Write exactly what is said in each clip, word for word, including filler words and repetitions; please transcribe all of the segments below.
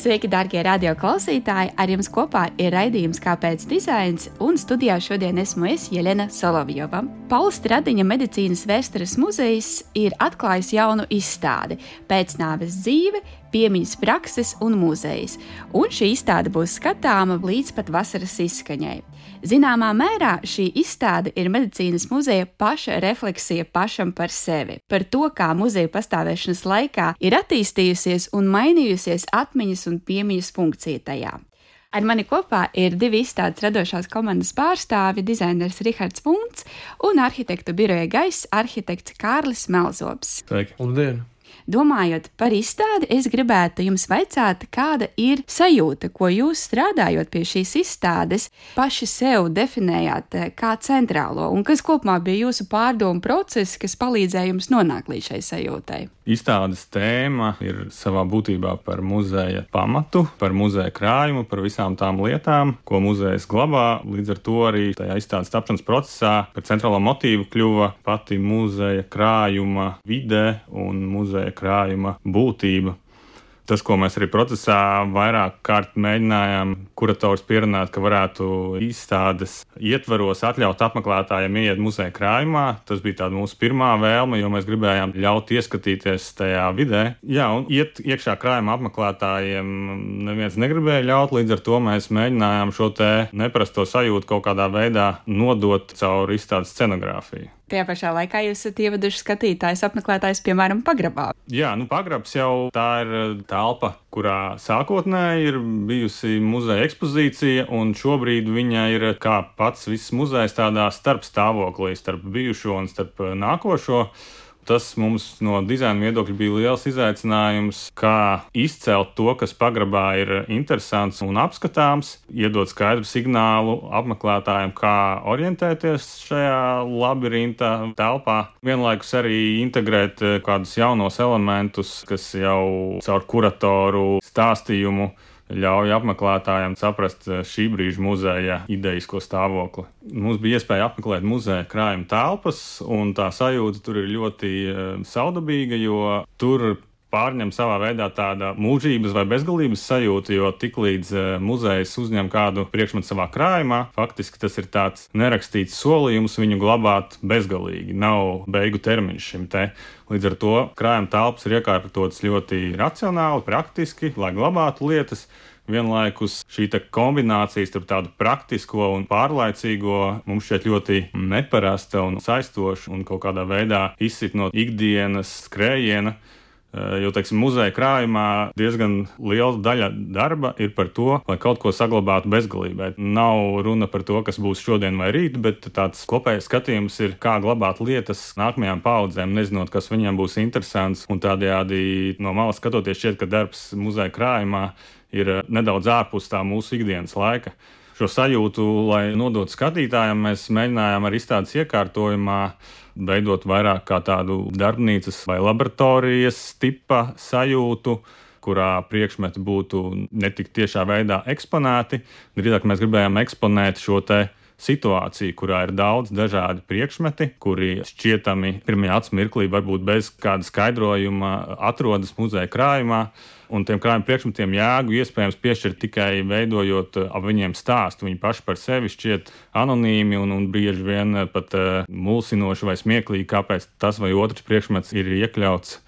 Sveiki, darbie radio klausītāji! Ar jums kopā ir raidījums Kāpēc dizains, un studijā šodien esmu es, Jelena Solovjova. Paula Stradiņa Medicīnas vēstures muzejs ir atklājis jaunu izstādi Pēcnāves dzīve, piemiņas prakses un muzejs, un šī izstāde būs skatāma līdz pat vasaras izskaņai. Zināmā mērā šī izstāde ir medicīnas muzeja paša refleksija pašam par sevi, par to, kā muzeja pastāvēšanas laikā ir attīstījusies un mainījusies atmiņas un piemiņas funkcija tajā. Ar mani kopā ir divi izstādes radošās komandas pārstāvi, dizainers Rihards Vunts un arhitektu biroja Gaiss arhitekts Kārlis Melzobs. Sveiki! Labdien! Domājot par izstādi, es gribētu jums vaicāt, kāda ir sajūta, ko jūs strādājot pie šīs izstādes paši sev definējāt kā centrālo, un kas kopumā bija jūsu pārdomu procesi, kas palīdzēja jums nonākt līdz šai sajūtai? Izstādes tēma ir savā būtībā par muzeja pamatu, par muzeja krājumu, par visām tām lietām, ko muzejs glabā. Līdz ar to arī tajā izstādes tapšanas procesā par centrālo motīvu kļuva pati muzeja krājuma vide un muzeja krājuma būtība. Tas, ko mēs arī procesā vairāk kārt mēģinājām kurators pierunāt, ka varētu izstādes ietvaros atļaut apmeklētājiem ieiet muzeja krājumā. Tas bija tāda mūsu pirmā vēlme, jo mēs gribējām ļaut ieskatīties tajā vidē. Jā, un iet iekšā krājuma apmeklētājiem neviens negribēja ļaut, līdz ar to mēs mēģinājām šo te neparasto sajūtu kaut kādā veidā nodot caur izstādes scenogrāfiju. Tajā pašā laikā jūs esat ieveduši skatītājus, apmeklētājus, piemēram, pagrabā. Jā, nu pagrabs jau tā ir telpa, kurā sākotnēji ir bijusi muzeja ekspozīcija, un šobrīd viņa ir kā pats viss muzejs tādā starpstāvoklī, starp bijušo un starp nākošo. Tas mums no dizaina viedokļa bija liels izaicinājums, kā izcelt to, kas pagrabā ir interesants un apskatāms, iedot skaidru signālu apmeklētājiem, kā orientēties šajā labirinta telpā. Vienlaikus arī integrēt kādus jaunos elementus, kas jau caur kuratoru stāstījumu ļauj apmeklētājiem saprast šī brīža muzeja idejisko stāvokli. Mums bija iespēja apmeklēt muzeja krājuma telpas, un tā sajūta tur ir ļoti saudabīga, jo tur pārņem savā veidā tāda mūžības vai bezgalības sajūta, jo tiklīdz muzejs uzņem kādu priekšmetu savā krājumā, faktiski tas ir tāds nerakstīts solījums viņu glabāt bezgalīgi. Nav beigu termiņš šim te. Līdz ar to krājuma telpas ir iekārtotas ļoti racionāli, praktiski, lai glabātu lietas. Vienlaikus šī kombinācija starp tādu praktisko un pārlaicīgo mums šķiet ļoti neparasta un saistoša un kaut kādā veidā izsit no ikdienas skrējiena. Jo, teiksim, muzeja krājumā diezgan liela daļa darba ir par to, lai kaut ko saglabātu bezgalībā. Nav runa par to, kas būs šodien vai rīt, bet tāds kopējais skatījums ir, kā glabāt lietas nākamajām paudzēm, nezinot, kas viņiem būs interesants. Un tādējādi no malas skatoties šķiet, ka darbs muzeja krājumā ir nedaudz ārpus tā mūsu ikdienas laika. Šo sajūtu, lai nodotu skatītājiem, mēs mēģinājām ar izstādes iekārtojumā veidot vairāk kā tādu darbnīcas vai laboratorijas tipa sajūtu, kurā priekšmeti būtu ne tik tiešā veidā eksponēti. Drīzāk mēs gribējām eksponēt šo te situāciju, kurā ir daudz dažādi priekšmeti, kuri šķietami pirmajā acu mirklī varbūt bez kāda skaidrojuma atrodas muzeja krājumā. Un tiem krājuma priekšmetiem jēgu iespējams piešķirt tikai veidojot ap viņiem stāstu. Viņi paši par sevi šķiet anonīmi un, un bieži vien pat uh, mulsinoši vai smieklīgi, kāpēc tas vai otrs priekšmets ir iekļauts.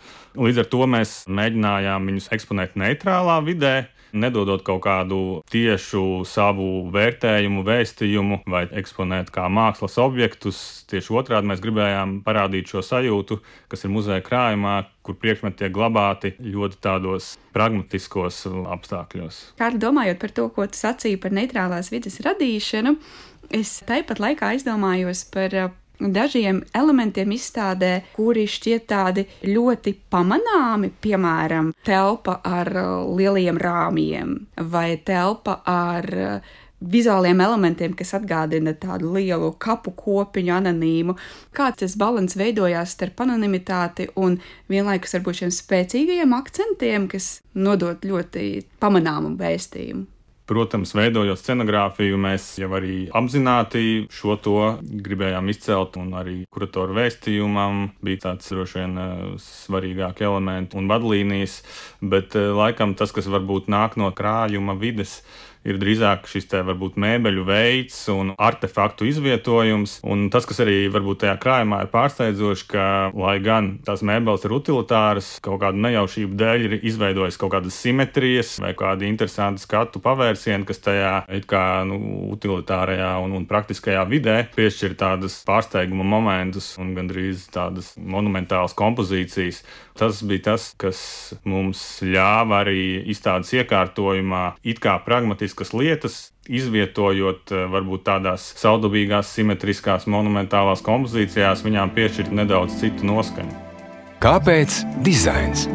Līdz ar to mēs mēģinājām viņus eksponēt neitrālā vidē, nedodot kaut kādu tiešu savu vērtējumu, vēstījumu vai eksponēt kā mākslas objektus. Tieši otrādi mēs gribējām parādīt šo sajūtu, kas ir muzeja krājumā, kur priekšmeti tiek glabāti ļoti tādos pragmatiskos apstākļos. Kā domājot par to, ko tu sacīji par neitrālās vides radīšanu, es tāpat laikā aizdomājos par dažiem elementiem izstādē, kuri šķiet tādi ļoti pamanāmi, piemēram, telpa ar lieliem rāmjiem vai telpa ar vizuāliem elementiem, kas atgādina tādu lielu kapu kopiņu anonīmu. Kā tas balans veidojās starp anonimitāti un vienlaikus varbūt šiem spēcīgajiem akcentiem, kas nodot ļoti pamanāmu vēstījumu? Protams, veidojot scenogrāfiju, mēs jau arī apzināti šo to gribējām izcelt, un arī kuratoru vēstījumam bija tāds droši vien svarīgāki elementi un vadlīnijas, bet laikam tas, kas varbūt nāk no krājuma vides, ir drīzāk šis te varbūt mēbeļu veids un artefaktu izvietojums. Un tas, kas arī varbūt tajā krājumā ir pārsteidzoši, ka, lai gan tās mēbeles ir utilitāras, kaut kādu nejaušību dēļ ir izveidojis kaut kādas simetrijas vai kādi interesanti skatu pavērsieni, kas tajā it kā nu, utilitārajā un, un praktiskajā vidē piešķir tādas pārsteiguma momentus un gandrīz tādas monumentālas kompozīcijas. Tas bija tas, kas mums ļāva arī izstādes iekārtojumā it kā pragmatiskas lietas, izvietojot varbūt tādās saudabīgās, simetriskās, monumentālās kompozīcijās, viņām piešķirt nedaudz citu noskaņu. Kāpēc dizains?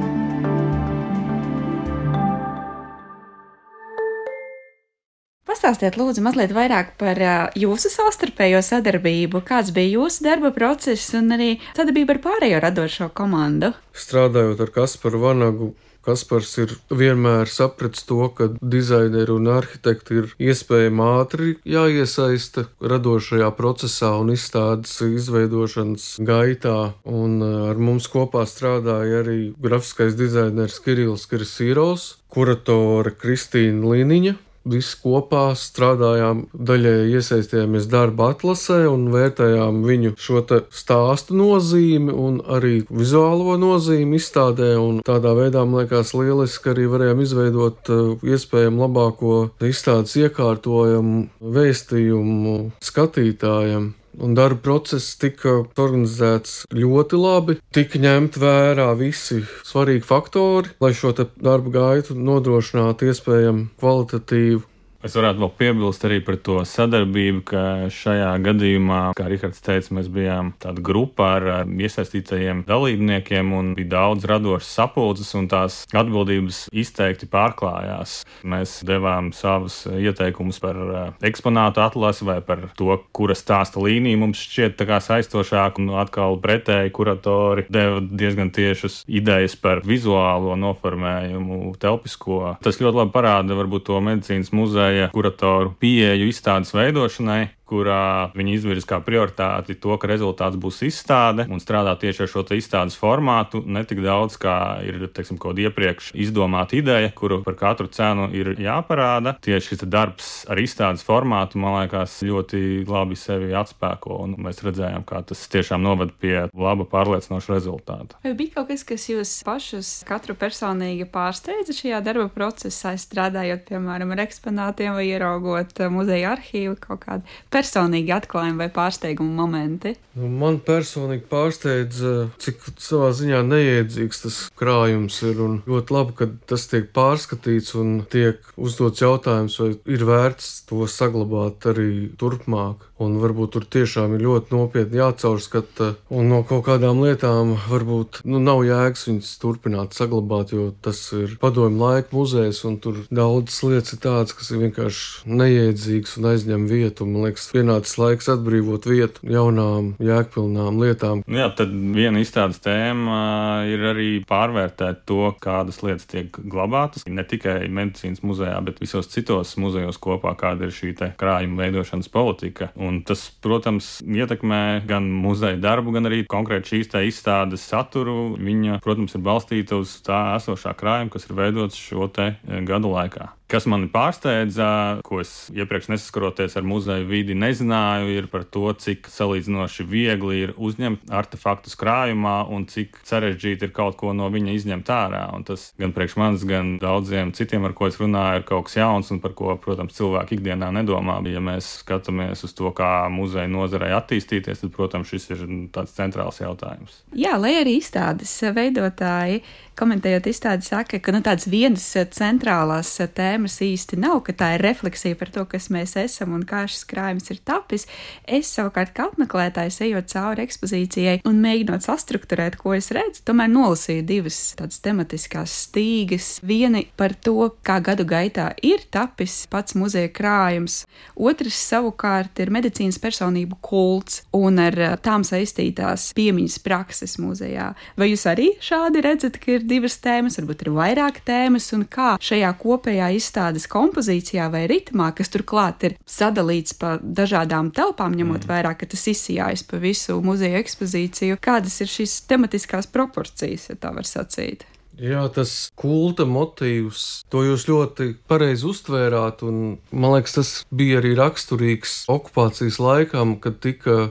Pastāstiet, lūdzu, mazliet vairāk par jūsu savstarpējo sadarbību, kāds bija jūsu darba process un arī sadarbība ar pārējo radošo komandu. Strādājot ar Kasparu Vanagu, Kaspars ir vienmēr sapratis to, ka dizaineri un arhitekti ir iespējami ātri jāiesaista radošajā procesā un izstādes izveidošanas gaitā, un ar mums kopā strādāja arī grafiskais dizainers Kirills Kirsīrovs, kuratore Kristīna Liniņa. Visi kopā strādājām, daļēji iesaistījāmies darba atlasē un vērtējām viņu šo te stāstu nozīmi un arī vizuālo nozīmi izstādē, un tādā veidā, man liekas, lieliski arī varējām izveidot iespējami labāko izstādes iekārtojumu, vēstījumu skatītājiem. Un darba process tika organizēts ļoti labi, tika ņemt vērā visi svarīgi faktori, lai šo te darba gaitu nodrošinātu iespējami kvalitatīvu. Es varētu vēl piebilst arī par to sadarbību, ka šajā gadījumā, kā Rihards teica, mēs bijām tāda grupa ar iesaistītajiem dalībniekiem un bija daudz radošas sapulces un tās atbildības izteikti pārklājās. Mēs devām savus ieteikumus par eksponātu atlasi vai par to, kura stāsta līnija mums šķiet tā kā saistošāk, un atkal pretēji kuratori deva diezgan tiešas idejas par vizuālo noformējumu, telpisko. Tas ļoti labi parāda varbūt to medicīnas muzeja kuratoru pieeju izstādes veidošanai, kurā viņi izvirz kā prioritāti to, ka rezultāts būs izstāde un strādā tieši ar šo te izstādes formātu, ne tik daudz, kā ir, teiksim, kaut iepriekš izdomāta ideja, kuru par katru cenu ir jāparāda. Tieši šis darbs ar izstādes formātu, man liekas, ļoti labi sevi atspēko, un mēs redzējām, kā tas tiešām noved pie laba pārliecinoša rezultāta. Vai bija kaut kas, kas jūs pašus katru personīgi pārsteidza šajā darba procesā, strādājot, piemēram, ar eksponātiem vai ieraugot muzeja arhīvu, kaut kādu personīgi atklājumi vai pārsteigumu momenti? Man personīgi pārsteidza, cik savā ziņā neiedzīgs tas krājums ir, un ļoti labi, ka tas tiek pārskatīts un tiek uzdots jautājums, vai ir vērts to saglabāt arī turpmāk. Un varbūt tur tiešām ir ļoti nopietni jācaurskata, un no kaut kādām lietām varbūt nu, nav jēgas viņas turpināt saglabāt, jo tas ir padomju laika muzejs, un tur daudzas lietas ir tādas, kas ir vienkārši neiedzīgas un aizņem vietu. Man liekas, pienācis laiks atbrīvot vietu jaunām, jēgpilnām lietām. Jā, tad viena izstādes tēma ir arī pārvērtēt to, kādas lietas tiek glabātas, ne tikai medicīnas muzejā, bet visos citos muzejos kopā, kāda ir šī te krājuma veidošanas politika. Un tas, protams, ietekmē gan muzeja darbu, gan arī konkrēti šīs te izstādes saturu. Viņa, protams, ir balstīta uz tā esošā krājuma, kas ir veidots šo te gadu laikā. Kas mani pārsteidza, ko es iepriekš nesaskaroties ar muzeju vidi nezināju, ir par to, cik salīdzinoši viegli ir uzņemt artefaktus krājumā un cik sarežģīti ir kaut ko no viņa izņemt ārā. Un tas gan priekš manis, gan daudziem citiem, ar ko es runāju, ir kaut kas jauns un par ko, protams, cilvēki ikdienā nedomā. Ja mēs skatāmies uz to, kā muzeja nozarei attīstīties, tad, protams, šis ir tāds centrāls jautājums. Jā, lai arī izstādes veidotāji, komentējot izstādi, saka, ka nu, tādas vienas centrālās tēmas īsti nav, ka tā ir refleksija par to, kas mēs esam un kā šis krājums ir tapis. Es savukārt kā apmeklētājs, ejot cauri ekspozīcijai un mēģinot sastrukturēt, ko es redzu, tomēr nolasīju divas tādas tematiskās stīgas. Viena par to, kā gadu gaitā ir tapis pats muzeja krājums. Otrs savukārt ir medicīnas personību kults un ar tām saistītās piemiņas prakses muzejā. Vai jūs arī šādi redzat, ka ir divas tēmas, varbūt ir vairāk tēmas, un kā šajā kopējā izstādes kompozīcijā vai ritmā, kas turklāt ir sadalīts pa dažādām telpām, ņemot mm. vērā, ka tas izsijājas pa visu muzeja ekspozīciju, kādas ir šīs tematiskās proporcijas, ja tā var sacīt? Jā, tas kulta motīvs, to jūs ļoti pareizi uztvērāt, un man liekas, tas bija arī raksturīgs okupācijas laikam, kad tika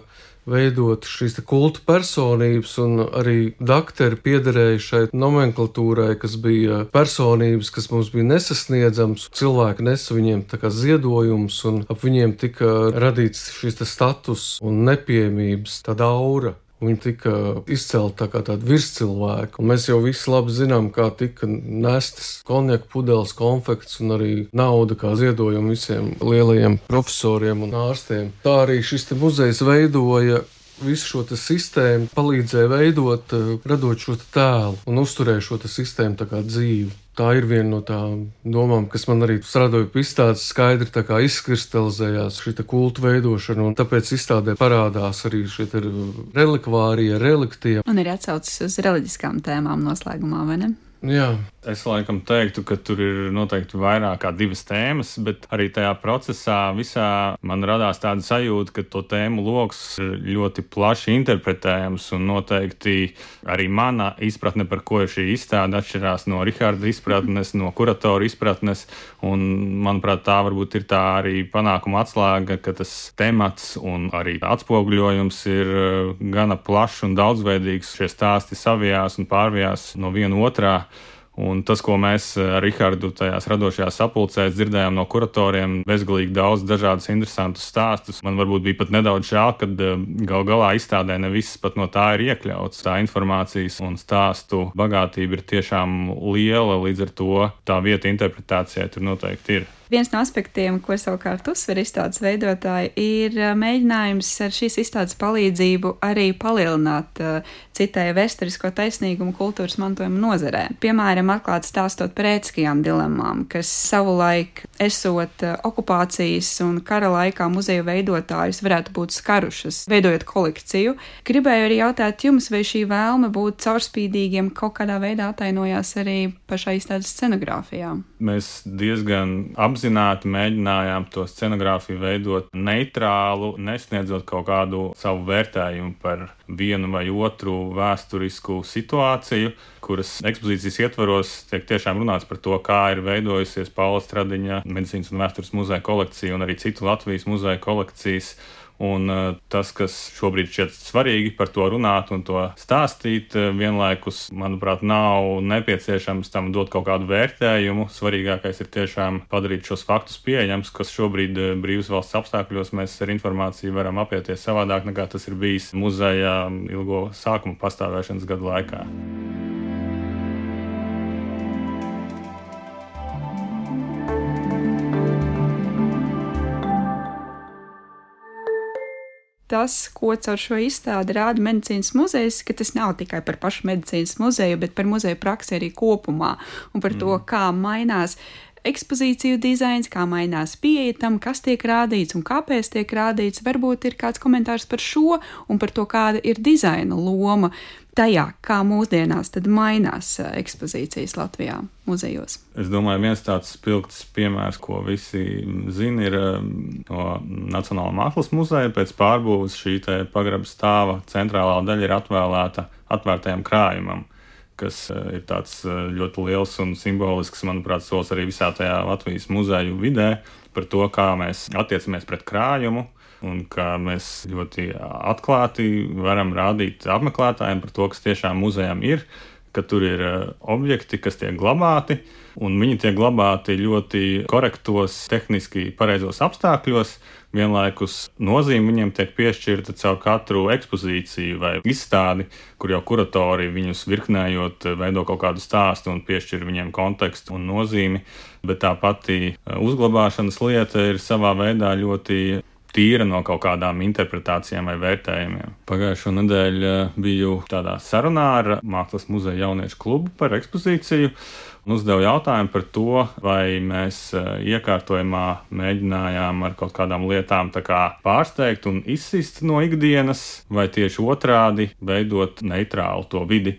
veidot šīs kulta personības, un arī dakteri piederēja šai nomenklatūrai, kas bija personības, kas mums bija nesasniedzams. Cilvēki nesa viņiem tā kā ziedojums, un ap viņiem tika radīts šis status un nepieejamības, tāda aura. Viņi tika izcelti tā kā tādi virscilvēki, un mēs jau visi labi zinām, kā tika nestas konjaka pudeles, konfekts un arī nauda kā ziedojumi visiem lielajiem profesoriem un ārstiem. Tā arī šis te muzejs veidoja visu šo te sistēmu, palīdzēja veidot, radot šo te tēlu un uzturēja šo te sistēmu tā kā dzīvi. Tā ir viena no tām domām, kas man arī strādājot pie izstādes skaidri tā kā izkristalizējās šī kulta veidošana, un tāpēc izstādē parādās arī šie relikvārija, reliktie. Un ir atsaucis uz reliģiskām tēmām noslēgumā, vai ne? Jā. Es laikam teiktu, ka tur ir noteikti vairāk kā divas tēmas, bet arī tajā procesā visā man radās tāda sajūta, ka to tēmu loks ir ļoti plaši interpretējams, un noteikti arī mana izpratne, par ko ir šī izstāde, atšķirās no Riharda izpratnes, no kuratora izpratnes, un manuprāt, tā varbūt ir tā arī panākuma atslēga, ka tas temats un arī atspoguļojums ir gana plašs un daudzveidīgs. Šie stāsti savijās un pārvijās no viena otrā. Un tas, ko mēs ar Rihardu tajās radošajās sapulcēs dzirdējām no kuratoriem, bezgalīgi daudz dažādus interesantus stāstus. Man varbūt bija pat nedaudz žēl, kad gal galā izstādē ne viss pat no tā ir iekļauts. Tā informācijas un stāstu bagātība ir tiešām liela, līdz ar to tā vieta interpretācijai tur noteikti ir. Viens no aspektiem, ko savukārt uzsver izstādes veidotāji, ir mēģinājums ar šīs izstādes palīdzību arī palielināt citēju vēsturisko taisnīgumu kultūras mantojuma nozarē. Piemēram, atklāt stāstot par ētiskajām dilemmām, kas savulaik esot okupācijas un kara laikā muzeju veidotājus varētu būt skarušas, veidojot kolekciju. Gribēju arī jautāt jums, vai šī vēlme būt caurspīdīgiem kaut kādā veidā atainojās arī pašā izstādes scenogrāfijā? Mēs diezgan apzināti mēģinājām to scenogrāfiju veidot neitrālu, nesniedzot kaut kādu savu vērtējumu par vienu vai otru vēsturisku situāciju, kuras ekspozīcijas ietvaros tiek tiešām runāts par to, kā ir veidojusies Paula Stradiņa medicīnas un vēstures muzeja kolekcija un arī citu Latvijas muzeja kolekcijas. Un tas, kas šobrīd šķiet svarīgi par to runāt un to stāstīt, vienlaikus, manuprāt, nav nepieciešams tam dot kaut kādu vērtējumu. Svarīgākais ir tiešām padarīt šos faktus pieejams, kas šobrīd brīvas valsts apstākļos mēs ar informāciju varam apieties savādāk, nekā tas ir bijis muzeja ilgo sākuma pastāvēšanas gadu laikā. Tas, ko caur šo izstādi rāda medicīnas muzejs, ka tas nav tikai par pašu medicīnas muzeju, bet par muzeju praksi arī kopumā un par to, kā mainās ekspozīciju dizains, kā mainās pieeja tam, kas tiek rādīts un kāpēc tiek rādīts. Varbūt ir kāds komentārs par šo un par to, kāda ir dizaina loma tajā, kā mūsdienās tad mainās ekspozīcijas Latvijā muzejos. Es domāju, viens tāds spilgts piemērs, ko visi zina, ir no Nacionālā mākslas muzeja. Pēc pārbūves šī te pagraba stāva centrālā daļa ir atvēlēta atvērtajam krājumam, kas ir tāds ļoti liels un simbolisks, manuprāt, solis arī visā tajā Latvijas muzeju vidē par to, kā mēs attiecamies pret krājumu, un kā mēs ļoti atklāti varam rādīt apmeklētājiem par to, kas tiešām muzejam ir, ka tur ir objekti, kas tiek glabāti, un viņi tiek glabāti ļoti korektos, tehniski pareizos apstākļos. Vienlaikus nozīme viņiem tiek piešķirta caur katru ekspozīciju vai izstādi, kur jau kuratori viņus virknējot veido kaut kādu stāstu un piešķir viņiem kontekstu un nozīmi, bet tā pati uzglabāšanas lieta ir savā veidā ļoti tīra no kaut kādām interpretācijām vai vērtējumiem. Pagājušo nedēļu biju tādā sarunā ar Mākslas muzeja jauniešu klubu par ekspozīciju un uzdevu jautājumu par to, vai mēs iekārtojumā mēģinājām ar kaut kādām lietām tā kā pārsteigt un izsist no ikdienas, vai tieši otrādi veidot neitrālu to vidi.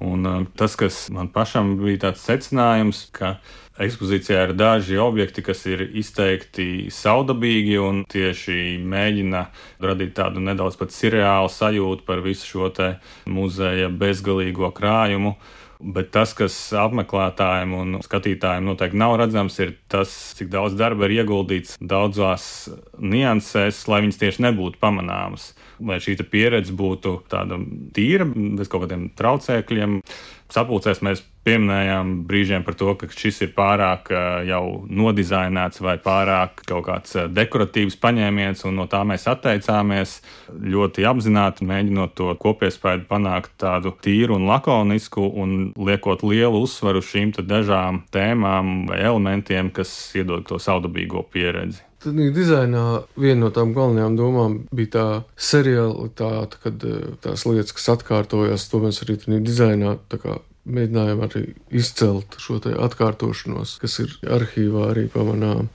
Un tas, kas man pašam bija tāds secinājums, ka ekspozīcijā ir daži objekti, kas ir izteikti saudabīgi un tieši mēģina radīt tādu nedaudz pat surreālu sajūtu par visu šo te muzeja bezgalīgo krājumu. Bet tas, kas apmeklētājiem un skatītājiem noteikti nav redzams, ir tas, cik daudz darba ir ieguldīts daudzās niansēs, lai viņas tieši nebūtu pamanāmas. Lai šī pieredze būtu tāda tīra, bez kaut kādiem traucēkļiem. Sapulcēs mēs pieminējām brīžiem par to, ka šis ir pārāk jau nodizainēts vai pārāk kaut kāds dekoratīvs paņēmiens, un no tā mēs atteicāmies, ļoti apzināti mēģinot to kopiespēju panākt tādu tīru un lakonisku un liekot lielu uzsvaru šīm dažām tēmām vai elementiem, kas iedod to saudabīgo pieredzi. Tad dizainā viena no tām galvenajām domām bija tā serialitāte, kad tās lietas, kas atkārtojās, to mēs arī tādā dizainā tā kā mēģinājām arī izcelt šo te atkārtošanos, kas ir arhīvā arī pamanām.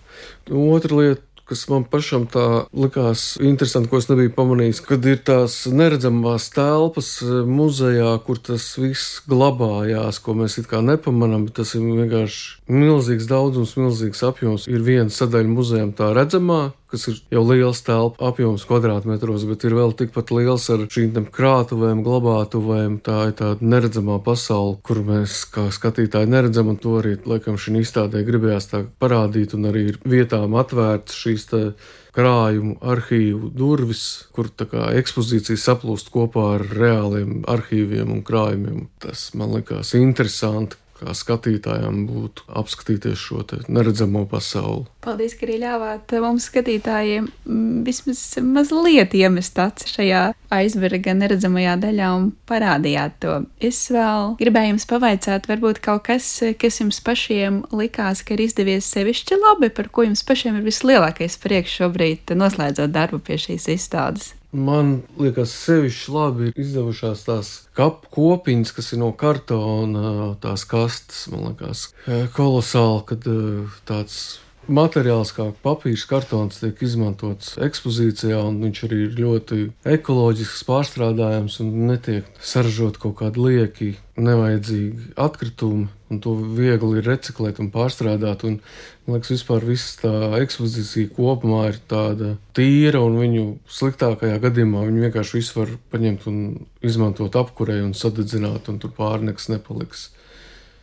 Otra lieta, kas man pašam tā likās interesanti, ko es nebiju pamanījis, kad ir tās neredzamās telpas muzejā, kur tas viss glabājās, ko mēs it kā nepamanām, bet tas ir vienkārši milzīgs daudzums, milzīgs apjoms. Ir viena sadaļa muzejam tā redzamā, kas ir jau liels telpa apjoms kvadrātmetros, bet ir vēl tikpat liels ar šīm krātuvēm, glabātuvēm. Tā ir tāda neredzamā pasaule, kur mēs kā skatītāji neredzam, un to arī, laikam, šī izstādē gribējās tā parādīt, un arī ir vietām atvērts šīs te krājumu arhīvu durvis, kur tā kā ekspozīcija saplūst kopā ar reāliem arhīviem un krājumiem. Tas man likās interesanti, kā skatītājiem būtu apskatīties šo te neredzamo pasauli. Paldies, ka arī ļāvāt mums skatītājiem vismaz mazliet iemest aci šajā aizberga neredzamajā daļā un parādījāt to. Es vēl gribēju jums pavaicāt, varbūt kaut kas, kas jums pašiem likās, ka ir izdevies sevišķi labi, par ko jums pašiem ir vislielākais prieks šobrīd noslēdzot darbu pie šīs izstādes. Man liekas, sevišķi labi ir izdevušās tās kapu kopiņas, kas ir no kartona, tās kastes, man liekas, kolosāli, kad tāds materiāls kā papīrs, kartons tiek izmantots ekspozīcijā, un viņš arī ir ļoti ekoloģisks, pārstrādājams un netiek saražot kaut kādi lieki, nevajadzīgi atkritumi, un to viegli ir reciklēt un pārstrādāt, un, man liekas, vispār viss tā ekspozīcija kopumā ir tāda tīra, un viņu sliktākajā gadījumā viņu vienkārši visu var paņemt un izmantot apkurei un sadedzināt, un tur pāri nekas nepaliks.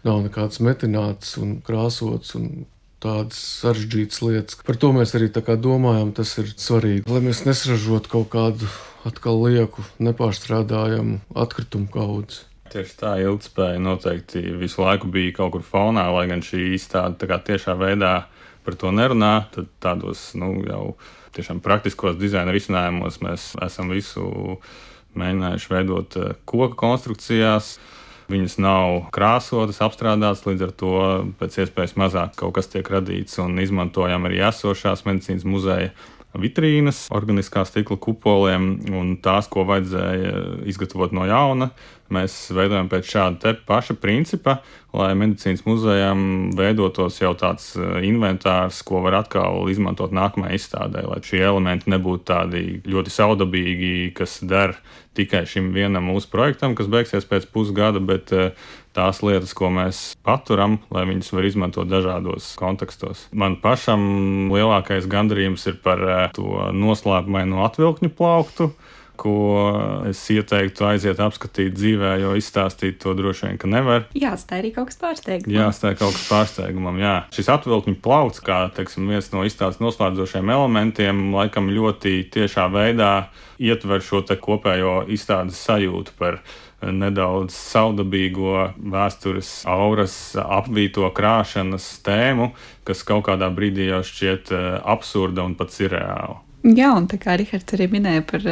Nav nekāds metināts un krāsots un tādas sarežģītas lietas. Par to mēs arī tā kā domājam, tas ir svarīgi, lai mēs nesražotu kaut kādu atkal lieku, nepārstrādājamu atkritumu kaudzi. Tieši tā, ilgtspēja noteikti visu laiku bija kaut kur fonā, lai gan šī izstāde tā kā tiešā veidā par to nerunā, tad tādos, nu, jau tiešām praktiskos dizaina risinājumos mēs esam visu mēģinājuši veidot koka konstrukcijās. Viņas nav krāsotas, apstrādātas, līdz ar to pēc iespējas mazāk kaut kas tiek radīts, un izmantojam arī esošās medicīnas muzeja vitrīnas, organiskā stikla kupoliem, un tās, ko vajadzēja izgatavot no jauna, mēs veidojam pēc šāda te paša principa, lai medicīnas muzejam veidotos jau tāds inventārs, ko var atkal izmantot nākamajai izstādē, lai šie elementi nebūtu tādi ļoti saudabīgi, kas der tikai šim vienam mūsu projektam, kas beigsies pēc pusgada, bet tās lietas, ko mēs paturam, lai viņas var izmantot dažādos kontekstos. Man pašam lielākais gandarījums ir par to noslēpumaino atvilkņu plauktu, ko es ieteiktu aiziet apskatīt dzīvē, jo izstāstīt to droši vien, ka nevar. Jāatstāj arī kaut kas pārsteigumam. Jāatstāj kaut kas pārsteigumam, jā. Šis atvilkņu plaukts, kā, teiksim, viens no izstādes noslēdzošiem elementiem, laikam ļoti tiešā veidā ietver šo te kopējo izstādes sajūtu par nedaudz saudabīgo vēstures auras apvīto krāšanas tēmu, kas kaut kādā brīdī jau šķiet absurda un pat surreāla. Jā, un tā kā Rihards arī minēja par,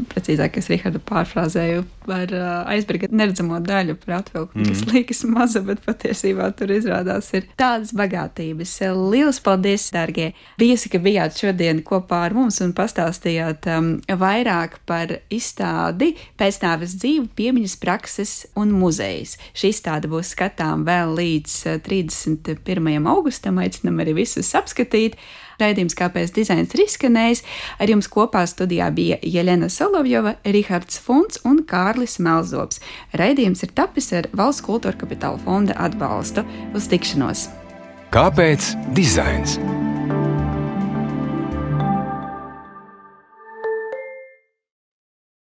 precīzāk, es Rihardu pārfrāzēju par aizberga neredzamo daļu par atvilkumu, mm. kas liekas maza, bet patiesībā tur izrādās ir tādas bagātības. Lielas paldies, dārgie viesi, ka bijāt šodien kopā ar mums un pastāstījāt um, vairāk par izstādi Pēcnāves dzīve, piemiņas prakses un muzejs. Šī izstāde būs skatām vēl līdz trīsdesmit pirmajam augustam, aicinam arī visus apskatīt. Raidījums Kāpēc dizains ir izskanējis. Ar jums kopā studijā bija Jelena Solovjova, Rihards Funts un Kārlis Melzobs. Raidījums ir tapis ar Valsts kultūra kapitāla fonda atbalstu. Uz tikšanos! Kāpēc dizains?